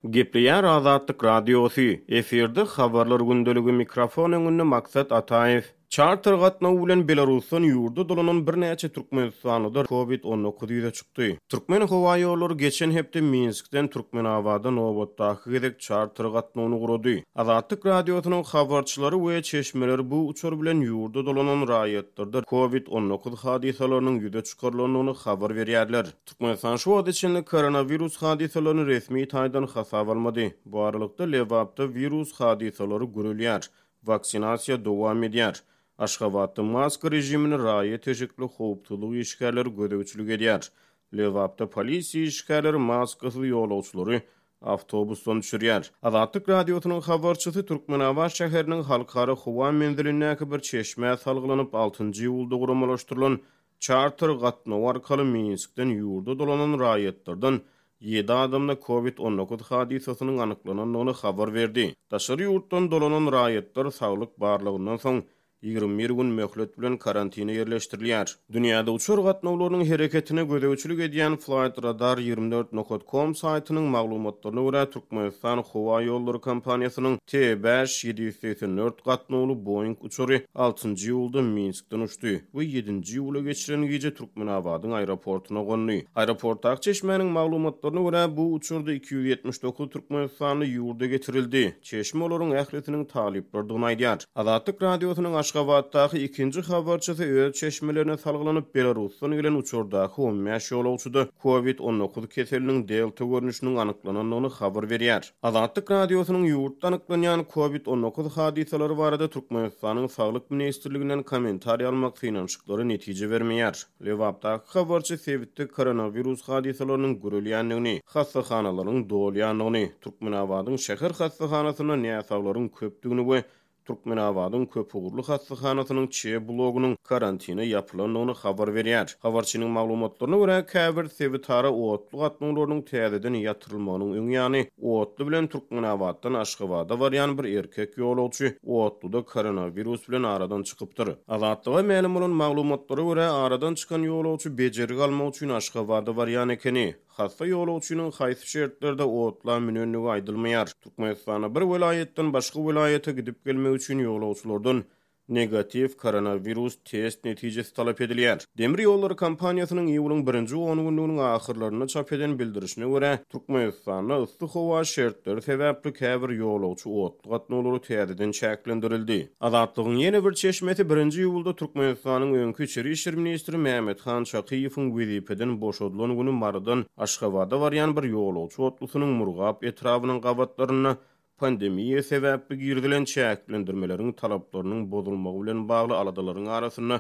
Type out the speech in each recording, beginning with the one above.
Gepleýär Azatlyk Radiosy, efirde Habarlar gündeligi, mikrofon öňünde Maksat Ataýew. Çarter gatnawy bilen Belarusdan ýurda dolanan birnäçe türkmenistanlyda Covid 19 ýüze çykdy. Türkmenhowaýollary geçen hepde Minskden Türkmenabada nobatdaky gezek çarter gatnawyny gurady. Azatlyk Radiosynyň habarçylary we çeşmeleri bu uçar bilen ýurda dolanan raýatlarda Covid 19 hadysalarynyň ýüze çykarylandygyny habar berýärler. Türkmenistan şu wagta çenli koronawirus hadysalaryny resmi taýdan hasaba almady. Bu aralykda, Lebapda wirus hadysalary gürelýär, waksinasiýa dowam edýär. Aşgabatda maska režimine raýat eşikli howpsuzlyk işgärleri gözegçilik edýär. Lebapda polisiýa işgärleri maskasyz ýolagçylary awtobusdan düşürýär. Azatlyk Radiosynyň habarçysy Türkmenabat şäheriniň Halkara howa menzilindäki bir çeşmä salgylanyp, altynjy iýulda guramalaşdyrylan Çarter gatnawy arkaly Minskden ýurda dolanan raýatlardan ýedi adamda Covid 19 hadysasynyň anyklanandygyny habar berdi. Daşary ýurtdan dolanan raýatlar saglyk barlagyndan soň 21 gün möhlet bilen karantine ýerleşdirilýär. Dünýäde uçar gatnawlarynyň hereketine gözegçilik edýän Flightradar 24 nokat com saýtynyň maglumatlaryna görä, Türkmenistan howa ýollary kompaniýasynyň T 5784 gatnawly Boeing uçary altynjy iýulda Minskden uçdy we ýedinji iýula geçiren gije Türkmenabadyň aeroportuna gondy. Aeroportdaky çeşmäniň maglumatlaryna görä, bu uçarda 279 türkmenistanly ýurda getirildi. Çeşme olaryň ählisiniň talyplardygyny aýdýar. Azatlyk Radiosynyň Aşgabatdaky ikinji habarçysy öz çeşmelerine salgylanyp, Belarusdan gelen uçardaky 15 ýolagçyda Covid 19 keseliniň delta görnüşiniň anyklanandygyny habar berýär. Azatlyk Radiosynyň ýurtda anyklanýan Covid 19 hadysalary barada Türkmenistanyň Saglyk ministrliginden kommentariý almak synanyşyklary netije bermeýär. Lebapdaky habarçy sebitde koronawirus hadysalarynyň gürelýändigini, hassahanalaryň dolýandygyny, Türkmenabadyň şäher hassahanasynda näsaglaryň köpdügini we Türkmenabadyň köpugurly hassahanasynyň Ç blogunyň karantine ýapylandygyny habar berýär. Habarçynyň maglumatlaryna görä, käbir sebitara otly gatnawlarynyň täzeden ýatyrylmagynyň öň ýany, otly bilen Türkmenabatdan Aşgabada barýan bir erkek ýolagçy otluda koronawirus bilen aradan çykypdyr. Azatlyga mälim bolan maglumatlara görä, aradan çykan ýolagçy bejergi almak üçin Aşgabada barýan ekeni. Hassa ýolagçynyň haýsy şertlerde otla münendigi aýdylmaýar. Türkmenistanda bir welaýatdan başga welaýata gidip gelmek üçin ýolagçylardan negatiw koronawirus test netijesi talap edilýär. Demir ýollary kompaniýasynyň iýulyň birinji ongünlüginiň ahyrlarynda çap eden bildirişine görä, Türkmenistanda yssy howa şertleri sebäpli käbir ýolagçy otly gatnawlary täzeden çäklendirildi. Azatlygyň ýene bir çeşmesi birinji iýulda Türkmenistanyň öňki içeri işler ministri Mämmethan Çakyýewiň wezipeden boşadylan güni Marydan Aşgabada barýan bir ýolagçy otlusynyň Murgap etrabynyň gabatlarynda pandemiýa sebäpli girizilen çäklendirmeleriň talaplarynyň bozulmagy bilen bagly aladalaryň arasynda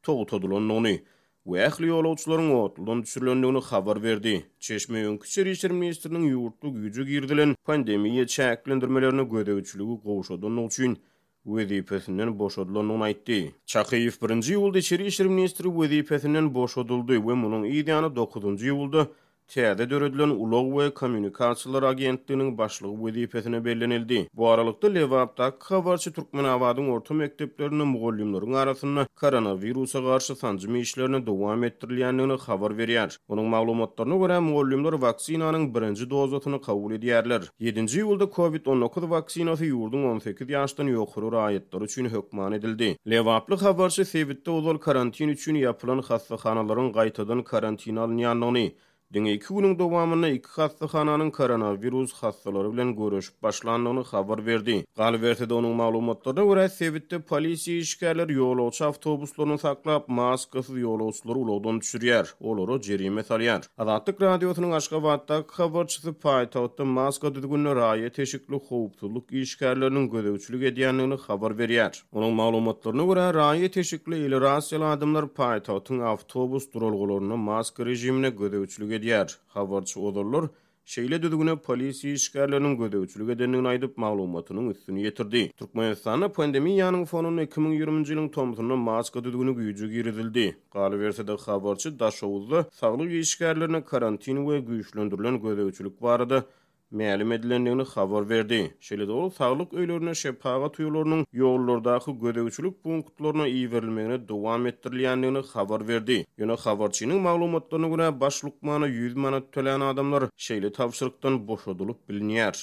togtadylandygyny we ähli ýolagçylaryň otludan düşürilendigini habar berdi. Çeşme öňki içeri işler ministriniň ýurtda güýje girizilen pandemiýa çäklendirmelerine gözegçiligi gowşadandygy üçin wezipesinden boşadylandygyny aýtdy. Çakyýew birinji iýulda içeri işler ministri wezipesinden boşadyldy we munuň yz ýany dokuzynjy iýulda täze döredilen Ulag we kommunikasiýalar agentliginiň başlygy wezipesine bellenildi. Bu aralykda, Lebapdaky habarçy Türkmenabadyň orta mekdeplerinde mugallymlaryň arasynda koronawirusa garşy sanjym işlerini dowam etdirilýändigini habar berýär. Onuň maglumatlaryna görä, mugallymlar waksinanyň birinji dozasyny kabul edýärler. Ýedinji iýulda Covid 19 waksinasy ýurduň 18 ýaşdan ýokary raýatlary üçin hökman edildi. Lebaply habarçy sebitde ozal karantin üçin ýapylan hassahanalaryň gaýtadan karantine alynýandygyny, diňe iki günüň dowamynda iki hassahananyň koronawirus hassalary bilen göreşip başlandygyny habar berdi. Galyberse-de, onuň maglumatlaryna görä, sebitde polisiýa işgärleri ýolagçy awtobuslaryny saklap, maskasyz ýolagçylary ulagdan düşürýär, olara jerime salýar. Azatlyk Radiosynyň Aşgabatdaky habarçysy paýtagtda maska düzgünine raýat eşikli howpsuzlyk işgärleriniň gözegçilik edýändigini habar berýär. Onuň maglumatlaryna görä, raýat eşikli eli rasiýaly adamlar paýtagtyň awtobus duralgalarynda maska režimine gözegçilik edýär. Habarçy ozallar şeýle düzgüne polisiýa işgärleriniň gözegçilik edendigini aýdyp, maglumatynyň üstüni ýetirdi. Türkmenistanda pandemiýanyň fonunda 2020-nji ýylyň tomsunda maska düzgüni güýje girizildi. Galyberse-de, habarçy Daşoguzda saglyk işgärlerine karantin we güýçlendirilen gözegçilik barada. mälim edilendigini habar berdi. Şeýle-de ol saglyk öýlerine şepagat uýalarynyň ýollardaky gözegçilik punktlaryna iberilmegine dowam etdirilýändigini habar berdi. Ýöne habarçynyň maglumatlaryna görä, baş lukmana 100 manat tölän adamlar şeýle tabşyrykdan boşadylyp bilinýär.